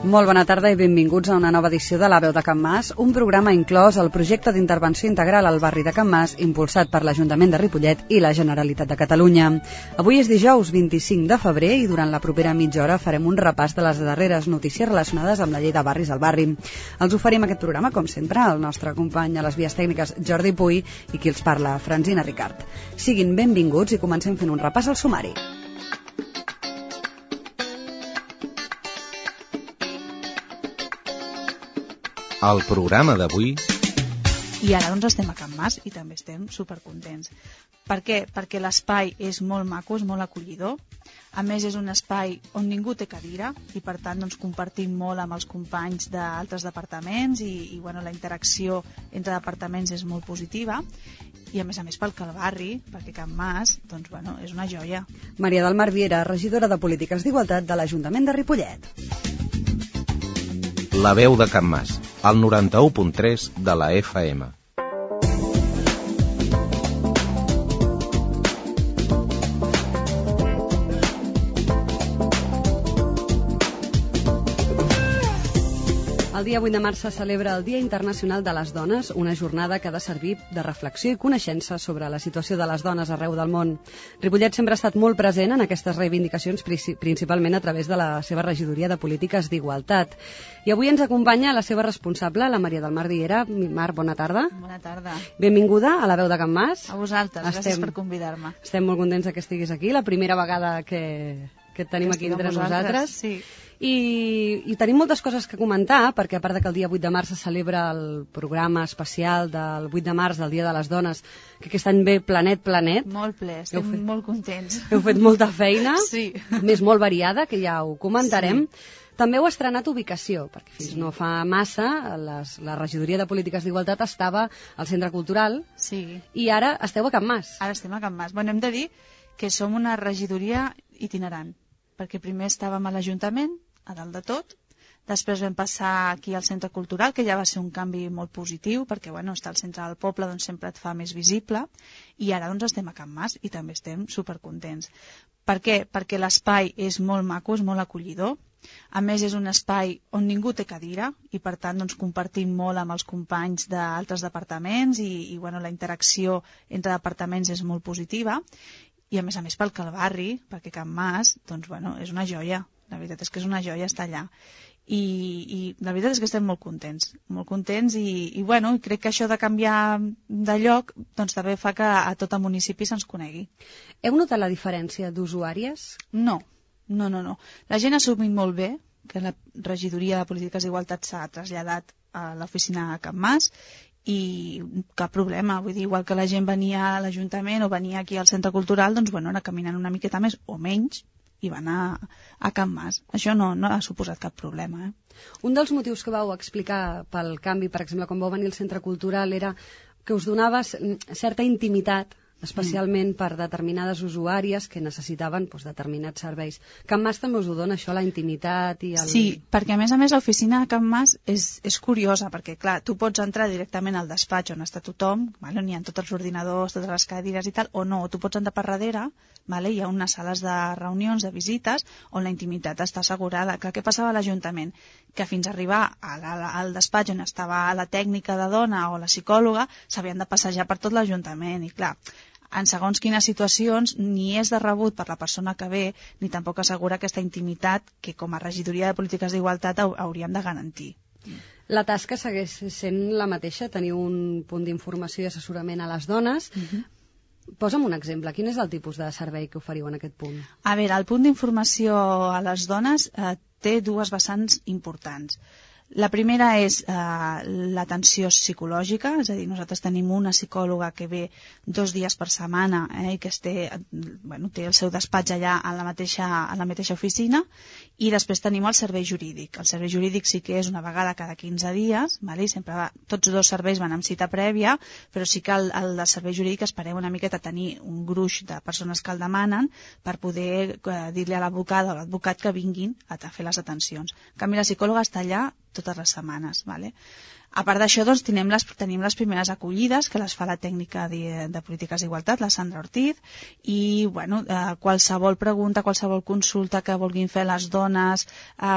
Molt bona tarda i benvinguts a una nova edició de La Veu de Can Mas, un programa inclòs al projecte d'intervenció integral al barri de Can Mas, impulsat per l'Ajuntament de Ripollet i la Generalitat de Catalunya. Avui és dijous 25 de febrer i durant la propera mitja hora farem un repàs de les darreres notícies relacionades amb la llei de barris al barri. Els oferim aquest programa, com sempre, el nostre company a les vies tècniques Jordi Puy i qui els parla, Francina Ricart. Siguin benvinguts i comencem fent un repàs al sumari. El programa d'avui... I ara doncs estem a Can Mas i també estem supercontents. Per què? Perquè l'espai és molt maco, és molt acollidor. A més, és un espai on ningú té cadira i, per tant, doncs, compartim molt amb els companys d'altres departaments i bueno, la interacció entre departaments és molt positiva. I, a més, pel barri, perquè Can Mas doncs, bueno, és una joia. Maria del Mar Viera, regidora de Polítiques d'Igualtat de l'Ajuntament de Ripollet. La veu de Can Mas, al 91.3 de la FM. El dia 8 de març se celebra el Dia Internacional de les Dones, una jornada que ha de servir de reflexió i coneixença sobre la situació de les dones arreu del món. Ripollet sempre ha estat molt present en aquestes reivindicacions, principalment a través de la seva regidoria de Polítiques d'Igualtat. I avui ens acompanya la seva responsable, la Maria del Mar Viera. Mar, bona tarda. Bona tarda. Benvinguda a La Veu de Can Mas. A vosaltres, gràcies per convidar-me. Estem molt contents que estiguis aquí, la primera vegada que et tenim aquí entre nosaltres. Sí. I tenim moltes coses que comentar, perquè a part que el dia 8 de març se celebra el programa especial del 8 de març, del Dia de les Dones, que aquest any ve planet. Molt ple, estem molt contents. Heu fet molta feina, sí. Més molt variada, que ja ho comentarem. Sí. També heu estrenat ubicació, perquè fins no fa massa la regidoria de Polítiques d'Igualtat estava al Centre Cultural, sí. I ara esteu a Can Mas. Ara estem a Can Mas. Bueno, hem de dir que som una regidoria itinerant, perquè primer estàvem a l'Ajuntament, a dalt de tot, després vam passar aquí al Centre Cultural, que ja va ser un canvi molt positiu, perquè bueno, estar al centre del poble doncs, sempre et fa més visible, i ara doncs, estem a Can Mas i també estem supercontents. Per què? Perquè l'espai és molt maco, és molt acollidor, a més és un espai on ningú té cadira i per tant doncs, compartim molt amb els companys d'altres departaments i bueno, la interacció entre departaments és molt positiva i a més pel barri, perquè Can Mas doncs, bueno, és una joia. La veritat és que és una joia estar allà. I la veritat és que estem molt contents i bueno, crec que això de canviar de lloc doncs també fa que a tot el municipi se'ns conegui. Heu notat la diferència d'usuàries? No. La gent ha assumit molt bé que la regidoria de Polítiques d'Igualtat s'ha traslladat a l'oficina a Can Mas i cap problema, vull dir, igual que la gent venia a l'Ajuntament o venia aquí al Centre Cultural, doncs bueno, anar caminant una miqueta més o menys i va anar a Can Mas. Això no ha suposat cap problema. Un dels motius que vau explicar pel canvi, per exemple, quan vau venir al Centre Cultural, era que us donava certa intimitat, especialment per determinades usuàries que necessitaven determinats serveis. Can Mas també us ho dona, això, la intimitat i el... Sí, perquè a més l'oficina de Can Mas és curiosa, perquè clar, tu pots entrar directament al despatx on està tothom, vale? On hi ha tots els ordinadors, totes les cadires i tal, o no, tu pots entrar per darrere, vale? Hi ha unes sales de reunions, de visites, on la intimitat està assegurada. Clar, què passava a l'Ajuntament? Que fins a arribar al despatx on estava la tècnica de dona o la psicòloga, s'havien de passejar per tot l'Ajuntament, i clar, en segons quines situacions ni és de rebut per la persona que ve ni tampoc assegura aquesta intimitat que com a regidoria de Polítiques d'Igualtat hauríem de garantir. La tasca segueix sent la mateixa, teniu un punt d'informació i assessorament a les dones. Posa'm un exemple, quin és el tipus de servei que oferiu en aquest punt? A veure, el punt d'informació a les dones té dues vessants importants. La primera és l'atenció psicològica, és a dir, nosaltres tenim una psicòloga que ve 2 dies per setmana i que té el seu despatx allà a la mateixa oficina, I després tenim el servei jurídic. El servei jurídic sí que és una vegada cada 15 dies, vale? I sempre tots dos serveis van amb cita prèvia, però sí que el del servei jurídic esperem una miqueta tenir un gruix de persones que el demanen per poder dir-li a l'advocat o a l'advocat que vinguin a fer les atencions. En canvi, la psicòloga està allà totes les setmanes. Vale? A part d'això, doncs, tenim les primeres acollides, que les fa la tècnica de polítiques d'igualtat, la Sandra Ortiz, i bueno, qualsevol pregunta, qualsevol consulta que vulguin fer les dones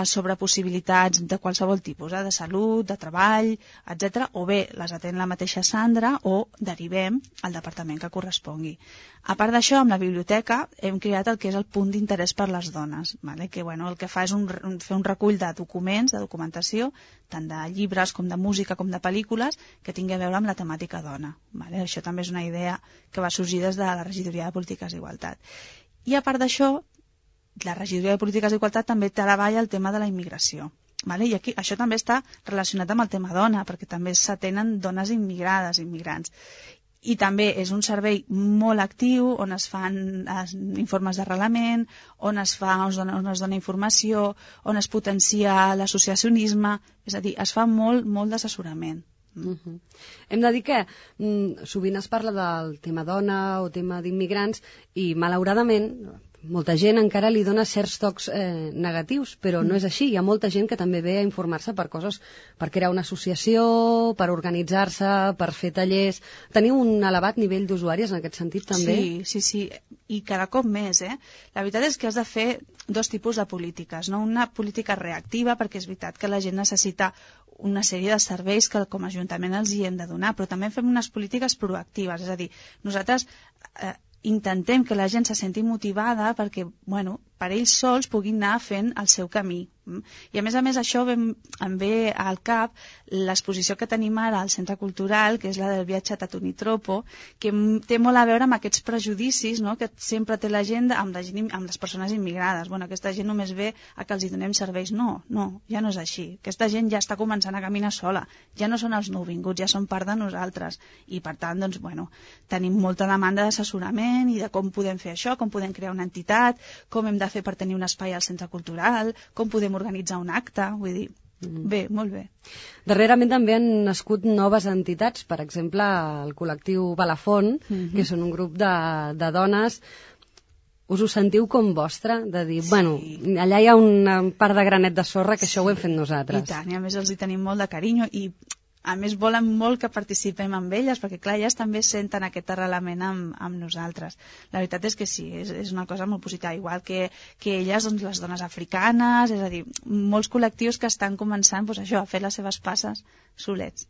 sobre possibilitats de qualsevol tipus, de salut, de treball, etc. O bé les atén la mateixa Sandra o derivem al departament que correspongui. A part d'això, amb la biblioteca hem creat el que és el punt d'interès per les dones, vale? Que bueno, el que fa és fer un recull de documents, de documentació, tant de llibres com de música com de pel·lícules, que tingui a veure amb la temàtica dona. Vale? Això també és una idea que va sorgir des de la Regidoria de Polítiques d'Igualtat. I a part d'això, la Regidoria de Polítiques d'Igualtat també treballa el tema de la immigració. Vale? I aquí això també està relacionat amb el tema dona, perquè també s'atenen dones immigrades, immigrants. I també és un servei molt actiu on es fan informes d'arrelament, on es dona informació, on es potencia l'associacionisme, és a dir, es fa molt d'assessorament. Hem de dir que sovint es parla del tema dona o tema d'immigrants i malauradament molta gent encara li dona certs tocs negatius, però no és així. Hi ha molta gent que també ve a informar-se per coses, per crear una associació, per organitzar-se, per fer tallers. Teniu un elevat nivell d'usuaris en aquest sentit també? Sí, i cada cop més. La veritat és que has de fer dos tipus de polítiques, no? Una política reactiva, perquè és veritat que la gent necessita una sèrie de serveis que com a Ajuntament els hi hem de donar, però també fem unes polítiques proactives, és a dir, nosaltres intentem que la gent se senti motivada perquè, bueno, per ells sols puguin anar fent el seu camí. I a més això em ve al cap l'exposició que tenim ara al Centre Cultural, que és la del viatge a Tatunitropo, que té molt a veure amb aquests prejudicis, no?, que sempre té la gent amb les persones immigrades. Bueno, aquesta gent només ve a que els hi donem serveis. No, ja no és així. Aquesta gent ja està començant a caminar sola. Ja no són els nouvinguts, ja són part de nosaltres. I per tant, doncs, bueno, tenim molta demanda d'assessorament i de com podem fer això, com podem crear una entitat, com hem de fer per tenir un espai al Centre Cultural, com podem organitzar un acte, vull dir, bé, molt bé. Darrerament també han nascut noves entitats, per exemple, el col·lectiu Balafon, que són un grup de dones. Us ho sentiu com vostre? De dir, bueno, allà hi ha una part de granet de sorra que això ho hem fet nosaltres. I tant, i a més els hi tenim molt de carinyo i a més volen molt que participem amb elles, perquè clar, elles també senten aquest arrelament amb nosaltres. La veritat és que sí, és una cosa molt positiva, igual que elles, doncs, les dones africanes, és a dir, molts col·lectius que estan començant doncs, això, a fer les seves passes solets.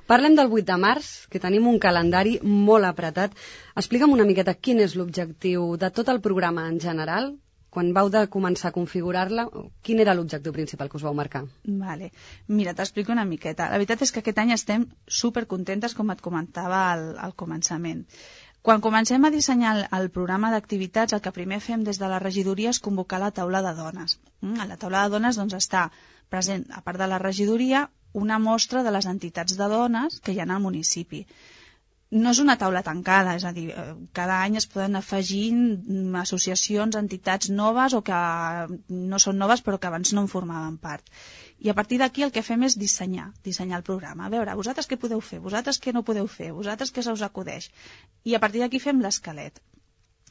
Parlem del 8 de març, que tenim un calendari molt apretat. Explica'm una miqueta quin és l'objectiu de tot el programa en general. Quan vau de començar a configurar-la, quin era l'objectiu principal que us vau marcar? Vale. Mira, t'explico una miqueta. La veritat és que aquest any estem supercontentes, com et comentava al començament. Quan comencem a dissenyar el programa d'activitats, el que primer fem des de la regidoria és convocar la taula de dones. A la taula de dones doncs, està present, a part de la regidoria, una mostra de les entitats de dones que hi ha al municipi. No és una taula tancada, és a dir, cada any es poden afegir associacions, entitats noves o que no són noves però que abans no en formaven part. I a partir d'aquí el que fem és dissenyar el programa. A veure, vosaltres què podeu fer, vosaltres què no podeu fer, vosaltres què se us acudeix. I a partir d'aquí fem l'esquelet.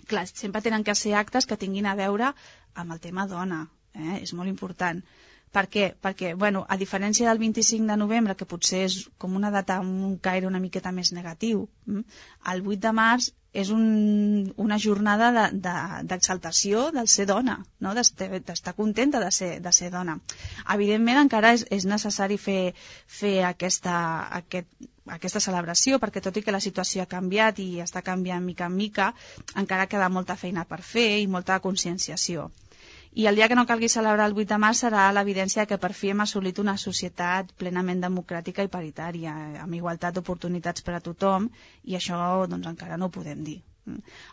Clar, sempre tenen que ser actes que tinguin a veure amb el tema dona, és molt important. Per què? Perquè, bueno, a diferència del 25 de novembre, que potser és com una data amb un caire una miqueta més negatiu, el 8 de març és una jornada d'exaltació del ser dona, no? D'estar contenta de ser dona. Evidentment, encara és necessari fer aquesta celebració, perquè tot i que la situació ha canviat i està canviant mica en mica, encara queda molta feina per fer i molta conscienciació. I el dia que no calgui celebrar el 8 de març serà l'evidència que per fi hem assolit una societat plenament democràtica i paritària, amb igualtat d'oportunitats per a tothom, i això doncs, encara no ho podem dir.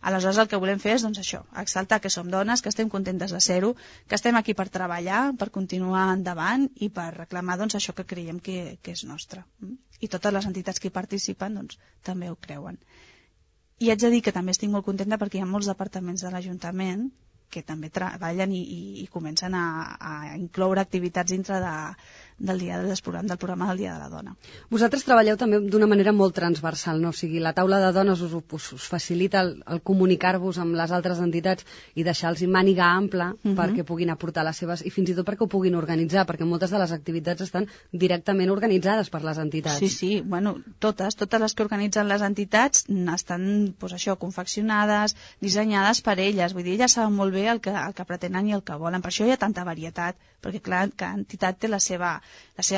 Aleshores el que volem fer és doncs, això, exaltar que som dones, que estem contentes de ser-ho, que estem aquí per treballar, per continuar endavant i per reclamar doncs, això que creiem que és nostre. I totes les entitats que hi participen doncs, també ho creuen. I haig de dir que també estic molt contenta perquè hi ha molts departaments de l'Ajuntament que també treballen i comencen a incloure activitats dintre del programa del Dia de la Dona. Vosaltres treballeu també d'una manera molt transversal, no? O sigui, la taula de dones us facilita el comunicar-vos amb les altres entitats i deixar-los màniga ampla perquè puguin aportar les seves, i fins i tot perquè ho puguin organitzar, perquè moltes de les activitats estan directament organitzades per les entitats. Sí, bueno, totes les que organitzen les entitats estan, doncs això, confeccionades, dissenyades per elles, vull dir, elles saben molt bé el que pretenen i el que volen, per això hi ha tanta varietat, perquè clar, cada entitat té la seva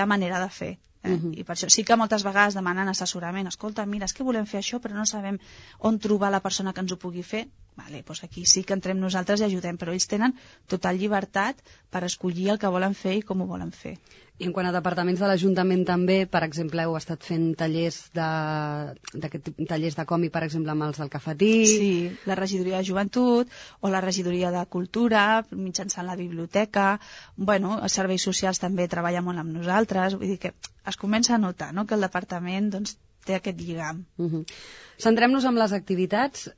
manera de fer. I per això sí que moltes vegades demanen assessorament. Escolta, mira, és que volem fer això però no sabem on trobar la persona que ens ho pugui fer. Vale, doncs aquí sí que entrem nosaltres i ajudem, però ells tenen total llibertat per escollir el que volen fer i com ho volen fer. I en quant a departaments de l'Ajuntament també, per exemple, heu estat fent tallers de còmic, per exemple, amb els del Cafetí. Sí, la regidoria de joventut o la regidoria de cultura, mitjançant la biblioteca. Bueno, els serveis socials també treballen molt amb nosaltres. Vull dir que es comença a notar, no?, que el departament doncs, té aquest lligam. Centrem-nos en les activitats.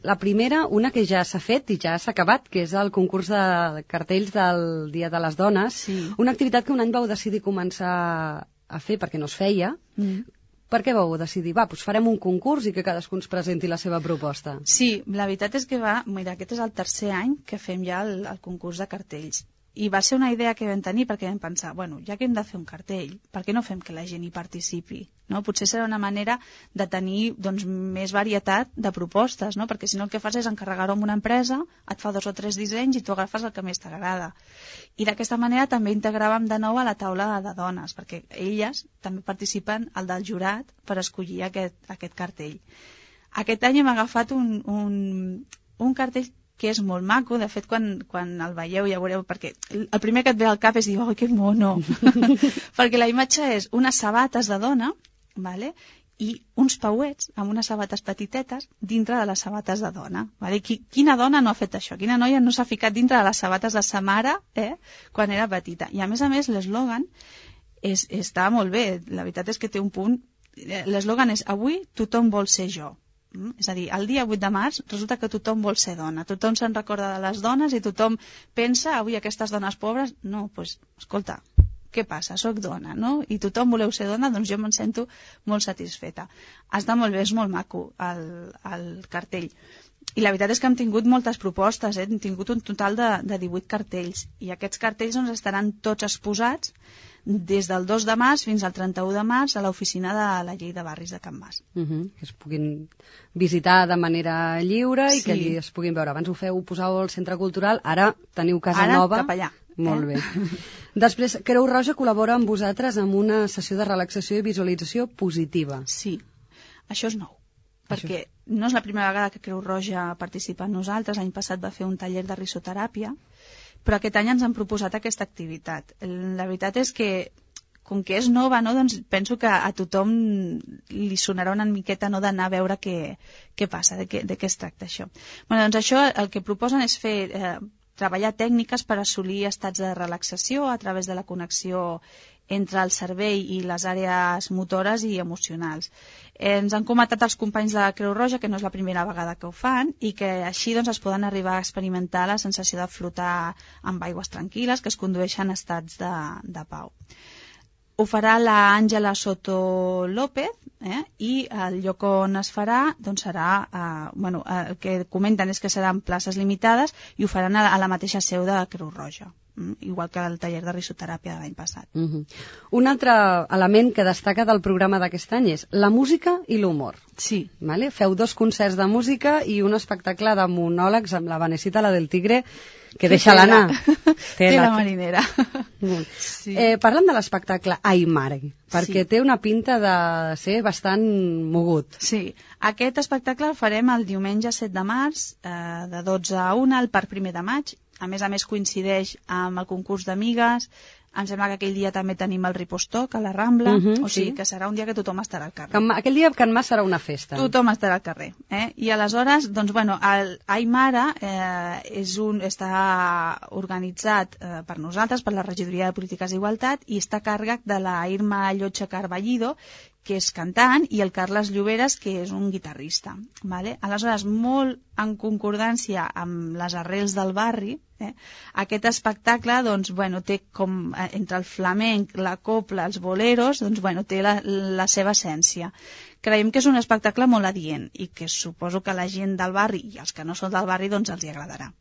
La primera, una que ja s'ha fet i ja s'ha acabat, que és el concurs de cartells del Dia de les Dones. Sí. Una activitat que un any vau decidir començar a fer perquè no es feia. Per què vau decidir? Doncs farem un concurs i que cadascú ens presenti la seva proposta. Sí, la veritat és que mira, aquest és el tercer any que fem ja el concurs de cartells. I va ser una idea que vam tenir perquè vam pensar, bueno, ja que hem de fer un cartell, per què no fem que la gent hi participi? No? Potser serà una manera de tenir doncs, més varietat de propostes, no? Perquè si no el que fas és encarregar-ho amb una empresa, et fa 2 o 3 dissenys i tu agafes el que més t'agrada. I d'aquesta manera també integràvem de nou a la taula de dones, perquè elles també participen al del jurat per escollir aquest cartell. Aquest any hem agafat un cartell que és molt maco. De fet, quan el veieu ja veureu, perquè el primer que et ve al cap és dir, oh, que mono, perquè la imatge és unes sabates de dona, vale? I uns pauets amb unes sabates petitetes dintre de les sabates de dona. Vale? Quina dona no ha fet això? Quina noia no s'ha ficat dintre de les sabates de sa mare quan era petita? I a més, l'eslògan està molt bé. La veritat és que té un punt. L'eslògan és avui tothom vol ser jo. És a dir, el dia 8 de març resulta que tothom vol ser dona, tothom se'n recorda de les dones i tothom pensa, avui aquestes dones pobres, no, doncs, escolta, què passa? Soc dona, no? I tothom voleu ser dona, doncs jo me'n sento molt satisfeta. Està molt bé, és molt maco el cartell. I la veritat és que hem tingut moltes propostes, hem tingut un total de 18 cartells, i aquests cartells doncs, estaran tots exposats des del 2 de març fins al 31 de març a l'oficina de la Llei de Barris de Can Mas. Que es puguin visitar de manera lliure i que allí es puguin veure. Abans ho posàveu al Centre Cultural, ara teniu casa nova. Ara cap allà. Molt bé. Després, Creu Roja col·labora amb vosaltres en una sessió de relaxació i visualització positiva. Sí, això és nou. Perquè no és la primera vegada que Creu Roja participa amb nosaltres. L'any passat va fer un taller de risoteràpia, però aquest any ens han proposat aquesta activitat. La veritat és que, com que és nova, no, doncs penso que a tothom li sonarà una miqueta no, d'anar a veure què passa, de què es tracta això. Bueno, doncs això el que proposen és treballar tècniques per assolir estats de relaxació a través de la connexió entre el cervell i les àrees motores i emocionals. Ens han comentat els companys de Creu Roja que no és la primera vegada que ho fan i que així doncs, es poden arribar a experimentar la sensació de flotar amb aigües tranquil·les que es condueixen a estats de pau. Ho farà l'Àngela Soto López i el lloc on es farà doncs serà, el que comenten és que seran places limitades i ho faran a la mateixa seu de Creu Roja, igual que el taller de risoteràpia de l'any passat. Un altre element que destaca del programa d'aquest any és la música i l'humor. Sí. Vale? Feu 2 concerts de música i un espectacle de monòlegs amb la Vanesita, la del Tigre, que deixa-la anar. Té la marinera. Sí. Parlem de l'espectacle Ai Mare, perquè té una pinta de ser bastant mogut. Sí, aquest espectacle el farem el diumenge 7 de març, de 12 a 1, al Parc 1 de Maig. A més coincideix amb el concurs d'amigues. Em sembla que aquell dia també tenim el Ripostoc a la Rambla, o sigui que serà un dia que tothom estarà al carrer. Aquell dia a Can Mas serà una festa. Tothom estarà al carrer. I aleshores, doncs, el Ai Mare està organitzat per nosaltres, per la Regidoria de Polítiques d'Igualtat, i està a càrrec de la Irma Llotja Carballido, que és cantant, i el Carles Lloberes, que és un guitarrista. Vale? Aleshores, molt en concordància amb les arrels del barri, aquest espectacle doncs, té com, entre el flamenc, la copla, els boleros, doncs, té la seva essència. Creiem que és un espectacle molt adient i que suposo que la gent del barri i els que no són del barri doncs els hi agradarà.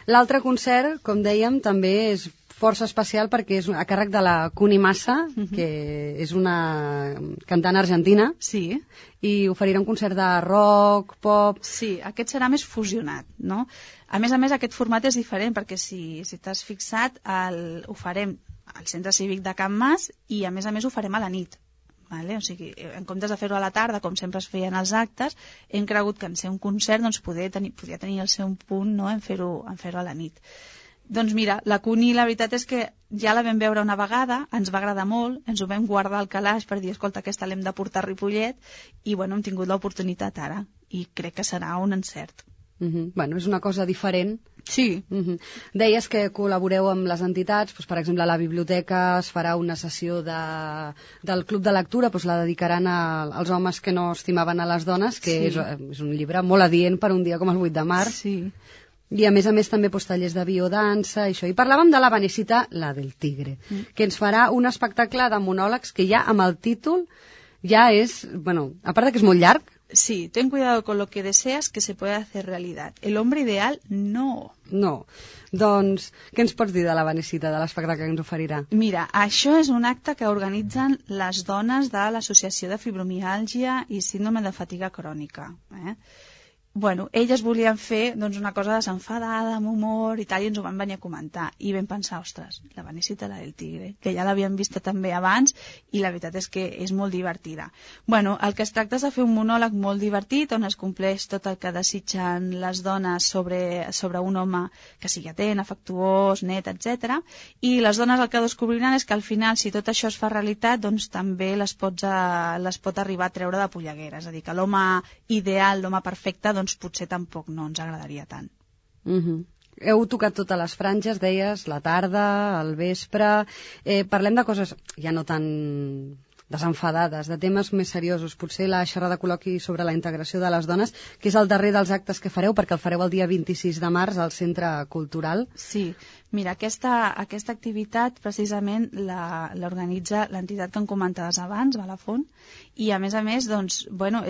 L'altre concert, com dèiem, també és força especial perquè és a càrrec de la Cuni Massa, que és una cantant argentina. Sí. I oferirà un concert de rock, pop... Sí, aquest serà més fusionat, no? A més, aquest format és diferent perquè si t'has fixat ho farem al Centre Cívic de Can Mas i a més ho farem a la nit. Vale? O sigui, en comptes de fer-ho a la tarda, com sempre es feien els actes, hem cregut que en ser un concert doncs, podia tenir el seu punt, no? en fer-ho a la nit. Doncs mira, la Cuni, la veritat és que ja la vam veure una vegada, ens va agradar molt, ens ho vam guardar al calaix per dir, escolta, aquesta l'hem de portar a Ripollet, i hem tingut l'oportunitat ara, i crec que serà un encert. És una cosa diferent. Sí. Deies que col·laboreu amb les entitats, per exemple, a la biblioteca es farà una sessió del Club de Lectura, la dedicaran als homes que no estimaven a les dones, que és un llibre molt adient per un dia com el 8 de març. Sí. I a més també tallers de biodansa i això. I parlàvem de la Vanesita, la del tigre, que ens farà un espectacle de monòlegs que ja amb el títol ja és, a part que és molt llarg. Sí, ten cuidado con lo que deseas que se puede hacer realidad. El hombre ideal, no. No. Doncs, què ens pots dir de la Vanesita, de l'espectacle que ens oferirà? Mira, això és un acte que organitzen les dones de l'Associació de Fibromiàlgia i Síndrome de Fatiga Crònica. Elles volien fer una cosa desenfadada, amb humor i tal, i ens ho van venir a comentar. I vam pensar, ostres, la Vanesita, la del tigre, que ja l'havíem vista també abans, i la veritat és que és molt divertida. El que es tracta és de fer un monòleg molt divertit, on es compleix tot el que desitgen les dones sobre un home que sigui atent, afectuós, net, etc. I les dones el que descobriran és que al final, si tot això es fa realitat, doncs també les pot arribar a treure de polleguera. És a dir, que l'home ideal, l'home perfecte, potser tampoc no ens agradaria tant. Heu tocat totes les franges, deies, la tarda, el vespre... Parlem de coses ja no tan desenfadades, de temes més seriosos. Potser la xerrada col·loqui sobre la integració de les dones, que és el darrer dels actes que fareu, perquè el fareu el dia 26 de març al Centre Cultural. Sí, mira, aquesta activitat precisament l'organitza l'entitat que em comentaves abans, Balafont, i a més, és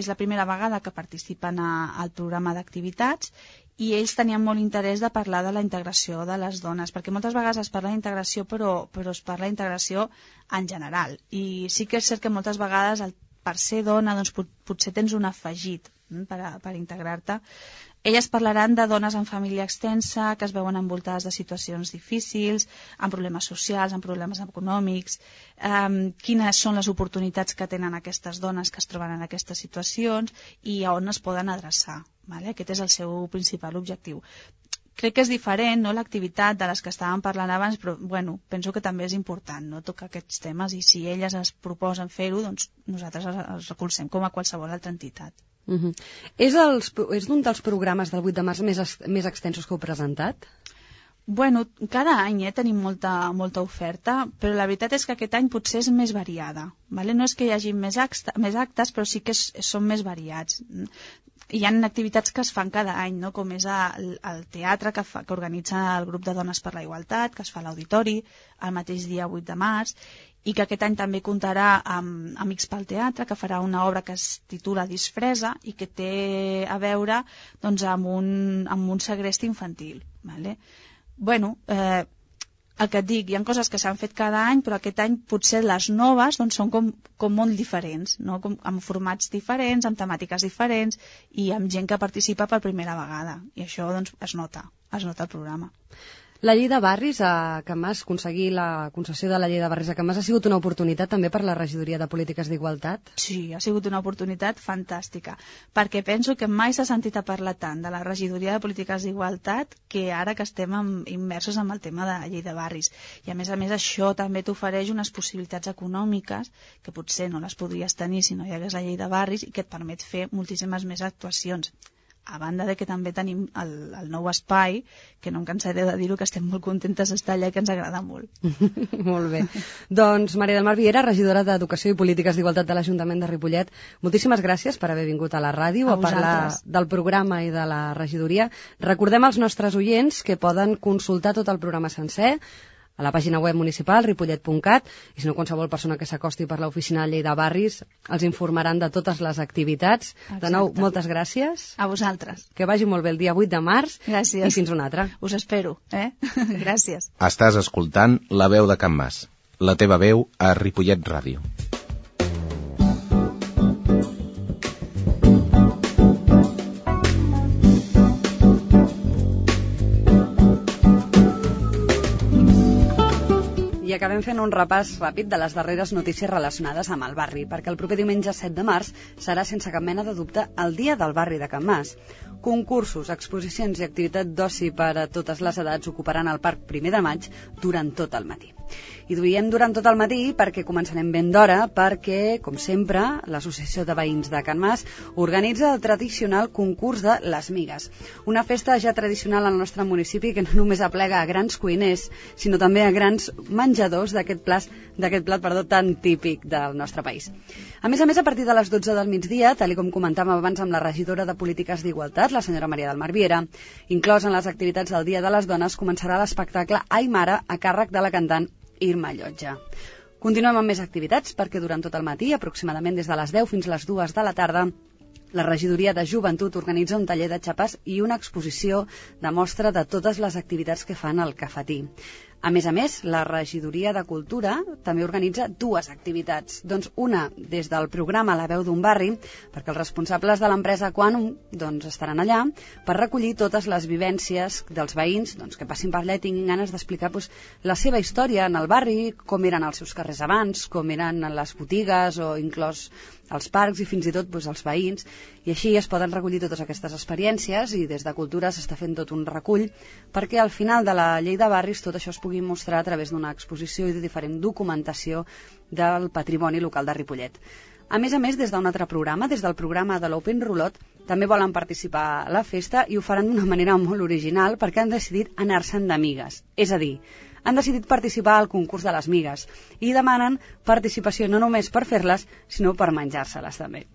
la primera vegada que participen al programa d'activitats i ells tenien molt interès de parlar de la integració de les dones, perquè moltes vegades es parla d'integració però es parla d'integració en general, i sí que és cert que moltes vegades per ser dona potser tens un afegit per integrar-te. Elles parlaran de dones amb família extensa, que es veuen envoltades de situacions difícils, amb problemes socials, amb problemes econòmics, quines són les oportunitats que tenen aquestes dones que es troben en aquestes situacions i a on es poden adreçar. Aquest és el seu principal objectiu. Crec que és diferent, no?, l'activitat de les que estàvem parlant abans, però penso que també és important, no?, tocar aquests temes, i si elles es proposen fer-ho, doncs nosaltres els recolzem com a qualsevol altra entitat. És un dels programes del 8 de març més extensos que heu presentat? Cada any tenim molta oferta, però la veritat és que aquest any potser és més variada. No és que hi hagi més actes, però sí que són més variats. Hi ha activitats que es fan cada any, no? Com és el teatre que organitza el grup de Dones per la Igualtat, que es fa a l'Auditori el mateix dia 8 de març, i que aquest any també comptarà amb Amics pel Teatre, que farà una obra que es titula Disfresa i que té a veure amb un segrest infantil. El que et dic, hi ha coses que s'han fet cada any, però aquest any potser les noves són com molt diferents, no? Amb formats diferents, amb temàtiques diferents i amb gent que participa per primera vegada. I això es nota al programa. La llei de barris a Can Mas, aconseguir la concessió de la llei de barris a Can Mas ha sigut una oportunitat també per la regidoria de polítiques d'igualtat? Sí, ha sigut una oportunitat fantàstica, perquè penso que mai s'ha sentit a parlar tant de la regidoria de polítiques d'igualtat que ara que estem immersos en el tema de la llei de barris. I a més això també t'ofereix unes possibilitats econòmiques que potser no les podries tenir si no hi hagués la llei de barris i que et permet fer moltíssimes més actuacions. a banda de que també tenim el nou espai, que no em cansaré de dir-ho, que estem molt contentes d'estar allà i que ens agrada molt. Molt bé. Doncs Maria del Mar Viera, regidora d'Educació i Polítiques d'Igualtat de l'Ajuntament de Ripollet, moltíssimes gràcies per haver vingut a la ràdio a parlar del programa i de la regidoria. Recordem als nostres oients que poden consultar tot el programa sencer a la pàgina web municipal, ripollet.cat, i si no, qualsevol persona que s'acosti per l'oficina de llei de barris els informaran de totes les activitats. Exacte. De nou, moltes gràcies. A vosaltres. Que vagi molt bé el dia 8 de març. Gràcies. I fins una altra. Us espero, Gràcies. Estàs escoltant La veu de Can Mas, la teva veu a Ripollet Ràdio. I acabem fent un repàs ràpid de les darreres notícies relacionades amb el barri, perquè el proper diumenge 7 de març serà sense cap mena de dubte el dia del barri de Can Mas. Concursos, exposicions i activitat d'oci per a totes les edats ocuparan el Parc 1 de Maig durant tot el matí. I diem durant tot el matí perquè començarem ben d'hora, perquè, com sempre, l'Associació de Veïns de Can Mas organitza el tradicional concurs de les migues. Una festa ja tradicional al nostre municipi que no només aplega a grans cuiners, sinó també a grans menjadors d'aquest plat tan típic del nostre país. A més, a partir de les 12 del migdia, tal com comentàvem abans amb la regidora de Polítiques d'Igualtat, la senyora Maria del Mar Viera, inclòs en les activitats del Dia de les Dones, començarà l'espectacle Ai Mare, a càrrec de la cantant Irma Llotja. Continuem amb més activitats perquè durant tot el matí, aproximadament des de les 10 fins a les 2 de la tarda, la regidoria de Joventut organitza un taller de xapes i una exposició de mostra de totes les activitats que fan al cafetí. A més, la regidoria de Cultura també organitza dues activitats. Doncs una des del programa La veu d'un barri, perquè els responsables de l'empresa Quantum estaran allà per recollir totes les vivències dels veïns que passin per allà i tinguin ganes d'explicar la seva història en el barri, com eren els seus carrers abans, com eren les botigues o inclòs els parcs i fins i tot els veïns, i així es poden recollir totes aquestes experiències i des de Cultura s'està fent tot un recull perquè al final de la llei de barris tot això es pugui mostrar a través d'una exposició i de diferent documentació del patrimoni local de Ripollet. A més, des d'un altre programa, des del programa de l'Open Rulot, també volen participar a la festa i ho faran d'una manera molt original perquè han decidit anar-se'n d'amigues, és a dir, han decidit participar al concurs de les migues i demanen participació no només per fer-les, sinó per menjar-se-les també.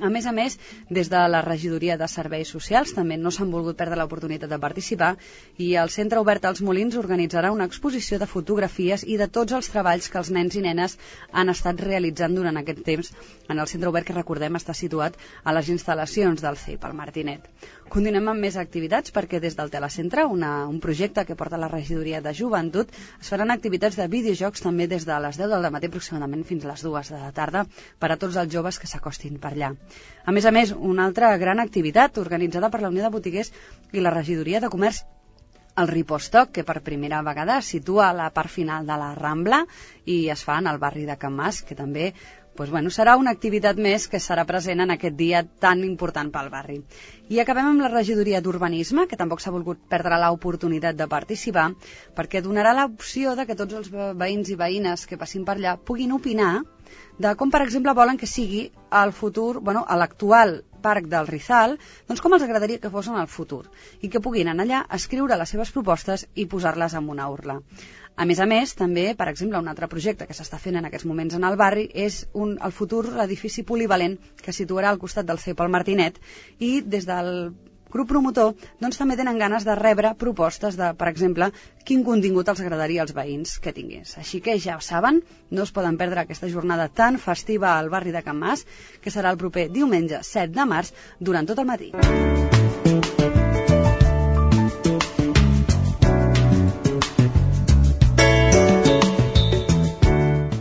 A més, des de la regidoria de Serveis Socials també no s'han volgut perdre l'oportunitat de participar i el Centre Obert als Molins organitzarà una exposició de fotografies i de tots els treballs que els nens i nenes han estat realitzant durant aquest temps en el Centre Obert, que recordem està situat a les instal·lacions del CEIP, al Martinet. Continuem amb més activitats perquè des del Telecentre, un projecte que porta la regidoria de Joventut, es faran activitats de videojocs també des de les 10 del matí aproximadament fins a les 2 de la tarda per a tots els joves que s'acostin per allà. A més, una altra gran activitat organitzada per la Unió de Botiguers i la regidoria de Comerç, el Ripostoc, que per primera vegada es situa a la part final de la Rambla i es fa en el barri de Can Mas, que també serà una activitat més que serà present en aquest dia tan important pel barri. I acabem amb la regidoria d'Urbanisme, que tampoc s'ha volgut perdre l'oportunitat de participar, perquè donarà l'opció de que tots els veïns i veïnes que passin per allà puguin opinar de com, per exemple, volen que sigui el futur, a l'actual Parc del Rizal, com els agradaria que fos en el futur, i que puguin anar allà, escriure les seves propostes i posar-les en una urla. A més, també, per exemple, un altre projecte que s'està fent en aquests moments en el barri és el futur edifici polivalent que es situarà al costat del CEIP al Martinet, i des del grup promotor també tenen ganes de rebre propostes de, per exemple, quin contingut els agradaria als veïns que tingués. Així que ja ho saben, no es poden perdre aquesta jornada tan festiva al barri de Can Mas, que serà el proper diumenge 7 de març durant tot el matí.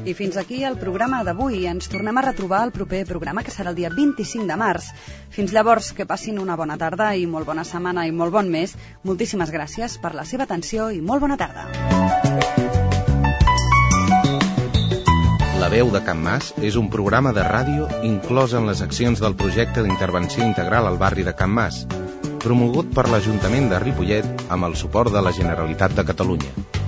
I fins aquí el programa d'avui. Ens tornem a retrobar al proper programa, que serà el dia 25 de març. Fins llavors, que passin una bona tarda i molt bona setmana i molt bon mes. Moltíssimes gràcies per la seva atenció i molt bona tarda. La veu de Can Mas és un programa de ràdio inclòs en les accions del projecte d'intervenció integral al barri de Can Mas, promogut per l'Ajuntament de Ripollet amb el suport de la Generalitat de Catalunya.